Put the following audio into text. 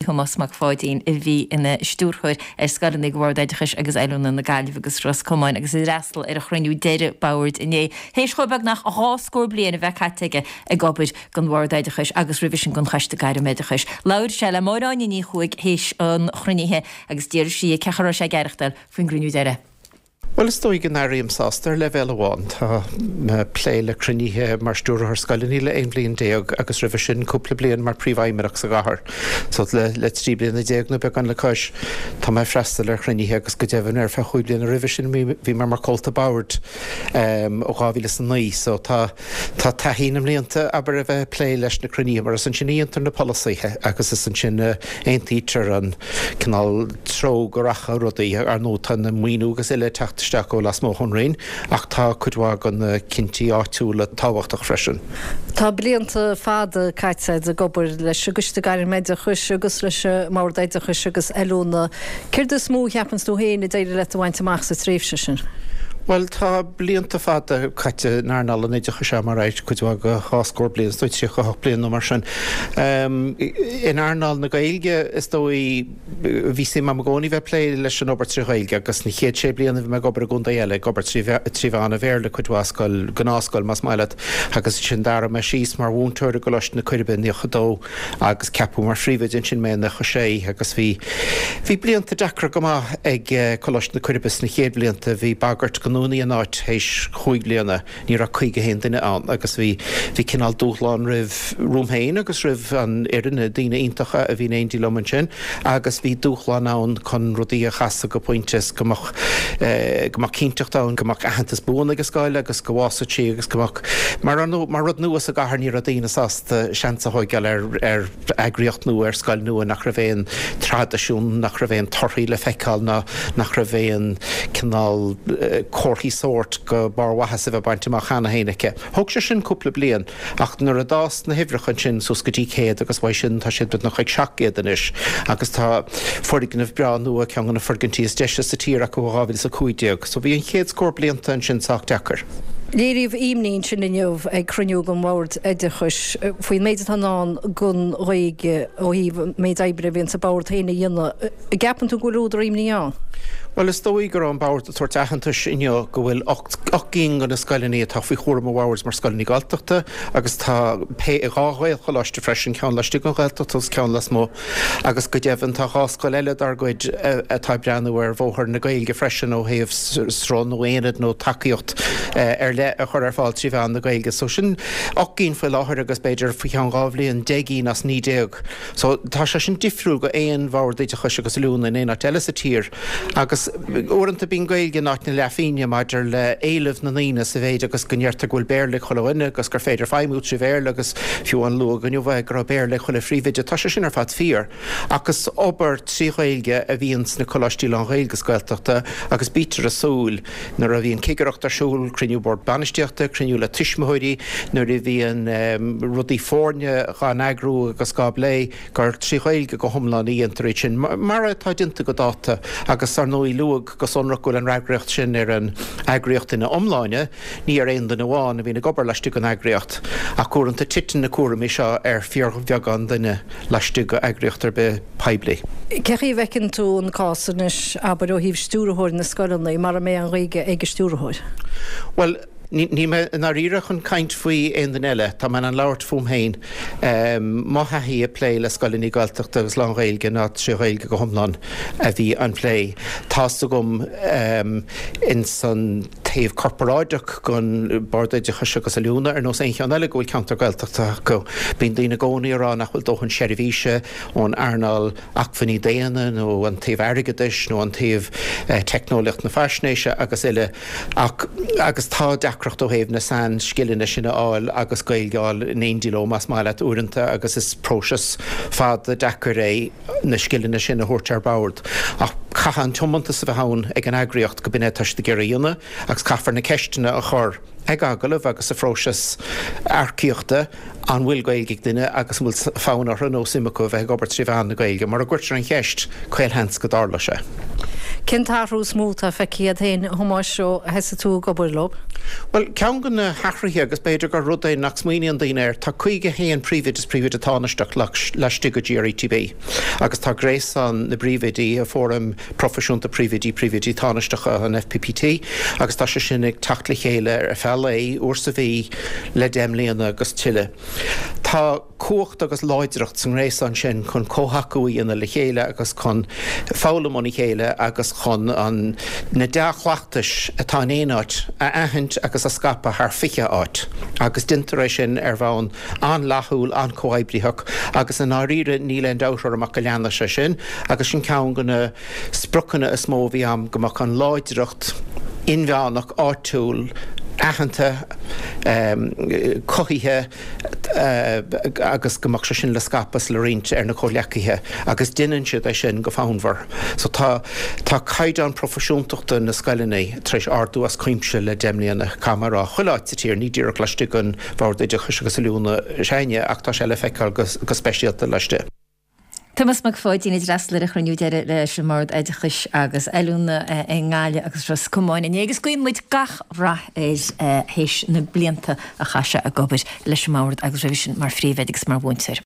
Thomás Mac Pháidín a bhí ina stiúrthóir ar scoileanna ag Bhord Oideachais agus Oiliúna na Gaillimhe agus Ros Comáin agus a d'fhreastail ar an chruinniú deiridh boird inné, théis chomh beagnach 20 scór bliain a bheith caite aige ag obair don Bhord Oideachais agus roimhe sin don Choiste Gairmoideachais. Labhair sé le Máire Áine Ní Chuaig théis an chruinnithe agus d'fhiafraigh sí dhe cén chaoi a raibh sé ag aireachtáil faoin gcruinniú deiridh. Bhuel, is dóigh go n-airím sásta ar leibhéal amháin. Tá mé ag plé le cruinnithe mar stiúrthóir scoileanna le 11 bhliain agus roimhe sin cúpla bliain mar phríomhfheidhmeannach sa gcathair. So le le 13 bliana nó beagán le cois, tá mé ag freastal ar chruinnithe agus go deimhin ar feadh chúig bliana roimhe sin bhí mé mar chomhalta boird ó 2009. So tá tá taithí na mblianta, abair, a bheith ag plé leis na cruinnithe mar is ansin a dhéantar na polasaithe agus is ansin a aontaítear an cineál treo go rachadh rudaí. Ar ndóigh tá na maoiniú agus uile ag teacht isteach ó lasmuigh ón Roinn ach tá cuid mhaith de na cinntí áitiúla tábhachtach freisin. Tá blianta fada caite agat ag obair leis an gCoiste Gairmoideachais agus leis an mBord Oideachais agus Oiliúna. Céard is mó a cheapanns tú féin a d'éirigh leat a bhaint amach sa tréimhse sin? Bhuel, tá blianta fada caite in earnáil an oideachais agam, alright, cuid mhaith de dhá scór bliain, is dóigh 38 bliain nó mar sin. In earnáil na Gaeilge, is dóigh, bhí suim agam i gcónaí bheith ag plé leis an obair trí Ghaeilge agus na chéad sé bliana bhí mé ag obair i gcontae eile, ag obair trí mheán an Bhéarla cuid mhaith, scoil, gnáthscoil más maith leat, agus ansin d'athraigh mé síos mar mhúinteoir i gColáiste na Coiribe i 92. agus ceapadh mar phríomhoide ansin mé i 96 agus bhí bhí blianta deacra go maith ag Coláiste na Coiribe sna chéad bhlianta, bhí bagairt go ndúnfaí an áit théis chúig bliana, ní raibh 51 duine ann agus bhí bhí cineál dúshlán roimh romham féin agus roimh an fhoireann, na daoine iontacha a bhí in éindí liom ansin agus bhí dúshlán ann chun rudaí a chasadh go pointe is go mbeadh go mbeadh cinnteacht ann go mbeadh aitheantas buan ag an scoil agus go bhfásfadh sí agus go mbeadh Mar ar ndóigh, mar rud nua sa gcathair ní raibh daoine sásta seans a thóigeáil ar ar eagraíocht nua, ar scoil nua nach raibh aon traidisiún, nach raibh aon torthaí le feiceáil ná nach raibh aon cineál comharthaí sóirt go barrmhaitheas a bheith bainte amach cheana féin aici. Thóg sé sin cúpla bliain ach nuair a d'fhás na huimhreacha ansin suas go dtí 100 agus uaidh sin tá siad beagnach ag 700 anois agus tá foirgneamh breá nua, ceann de na foirgintí is deise sa tír acu ó 2015. So bhí an chéad scór blianta ansin sách deacair. Léiríodh imní ansin inniu ag cruinniú den Bhord Oideachais faoin méid atá i ndán don Ghaeilge ó thaobh an méid oibre a bhíonns an Bord féin a dhéanamh. An gceapann tú go bhfuil údar imní ann? Bhuel, is dóigh go raibh an Bord ag tabhairt aitheantais inniu go bhfuil 8 gcinn de na scoileanna atá faoi chúram an Bhoird mar scoileanna Gaeltachta agus tá dhá Ghaelcholáiste freisin, ceann laistigh den Ghaeltacht agus ceann lasmuigh. Agus go deimhin tá 2 scoil eile dár gcuid atá ag breathnú ar bhóthar na Gaeilge freisin ó thaobh sruth nó aonad nó tacaíocht ar leith a chur ar fáil trí mheán na Gaeilge. So sin 8 gcinn faoi láthair agus b'fhéidir faoi cheann 2 bhliain 10 gcinn as 19. So tá sé sin difriúil go aon bhord oideachais agus oiliúna in aon áit eile sa tír. Agus uaireanta bíonn Gaeilge in áit na leathphingne maidir le éileamh na ndaoine sa mhéid agus go ndeirtear go bhfuil Béarla ag chuile dhuine agus gur féidir feidhmiú trí Bhéarla agus fiú amháin luadh inniu é go raibh Béarla ag chuile phríomhoide. Tá sé sin ar fad fíor. Ach is obair trí Ghaeilge a bhíonn sna coláistí lán-Ghaeilge is Gaeltachta agus bítear ag súil nuair a bhíonn cigireacht ar siúl, cruinniú bord bainistíochta, cruinniú le tuismitheoirí, nuair a bhíonn rudaí foirne dhá n-eagrú agus dhá bplé, gur trí Ghaeilge go hiomlán a dhéantar iad sin, mar atá déanta go dáta, agus ar ndóigh luadh go sonrach go bhfuil an fhreagracht sin ar an eagraíocht ina iomláine, ní ar aon duine amháin a bhíonn ag obair laistigh den eagraíocht. Ach uaireanta titeann na cúraimí seo ar fíorbheagán duine laistigh d'eagraíocht ar bith poiblí. Cé chaoi a bhfeiceann tú an cás anois, abair, ó thaobh stiúrthóir na scoileanna, mara mbeidh an Ghaeilge ag an stiúrthóir? Bhuel, Níl mé i ndáiríre chun caint faoi aon duine eile. Tá mé in ann labhairt fúm féin. Mo thaithí ag plé le scoileanna Gaeltachta agus lán-Ghaeilge ná trí Ghaeilge go hiomlán a bhí an plé. Tá's agam ins an taobh corparáideach den Bord Oideachais agus Oiliúna, ar nós aon cheann eile, go bhfuil ceantar Gaeltachta acu. Bíonn daoine i gcónaí ag rá nach bhfuil dóthain seirbhíse ón earnáil acmhainní daonna nó an taobh airgeadais nó an taobh teicneolaíocht na faisnéise agus uile. Ach, agus tá deacracht ó thaobh na sainscileanna sin a fháil agus Gaeilge a fháil in éindí leo, más maith leat, uaireanta agus is próiseas fada deacair é na scileanna sin a thabhairt ar bord. Ach caithfidh an tiomantas a bheith ann ag an eagraíocht go b'in é atá siad ag iarraidh a dhéanamh agus caithfear na ceisteanna a chur. ag agallamh agus sa phróiseas earcaíochta an bhfuil Gaeilge ag duine agus an bhfuil fonn orthu nó suim acu a bheith ag obair trí mheán na Gaeilge. Mura gcuirtear an cheist, caolsheans go dtarlóidh sé. Cén t-athrú is mó atá feicthe agat féin, a Thomáis, ó thosaigh tú ag obair leo? Bhuel, ceann de na hathruithe, agus b'fhéidir gur rud é nach smaoiníonn daoine air, tá 51 príomhoide is príomhoide tánaisteach laistigh de GRETB agus tá gréasán na bpríomhoidí, Fóram Proifisiúnta Príomhoidí, Príomhoidí Tánaisteacha, an FPPT, agus tá sé sin ag teacht le chéile ar feadh lae, uair sa mhí, le 10 mbliana agus tuilleadh. Tá cumhacht agus láidreacht sa ngréasán sin chun comhthacú a dhéanamh le chéile agus chun foghlaim óna chéile agus chun an na dea-chleachtais atá in aon áit a aithint agus a scaipeadh thar 20 áit agus déantar é sin ar bhonn an-fhlaithiúil, an-chomhoibritheach agus i ndáiríre níl aon dabht orm ach go leanfaidh sé sin agus sin ceann de na spriocanna is mó a bhí agam, go mbeadh an láidreacht inmheánach áitiúil aitheanta, cothaithe agus go mbeadh sé sin le scaipeadh is le roinnt ar na comhghleacaithe agus déanann siad é sin go fonnmhar. So tá tá caighdeán proifisiúntachta na scoileanna tar éis ardú as cuimse le 10 mbliana, caithfidh mé a rá, chuile áit sa tír, ní díreach laistigh den Bhord Oideachais agus Oiliúna s'againne ach tá sé le feiceáil go speisialta laistigh. Tomás Mac Pháidín a d'fhreastail ar an chruinniú deiridh leis an mBord Oideachais agus Oiliúna i nGaillimh agus Ros Comáin inné agus guíonn muid gach rath air théis na blianta a chaith sé ag obair leis an mBord agus roimhe sin mar phríomhoide agus mar mhúinteoir.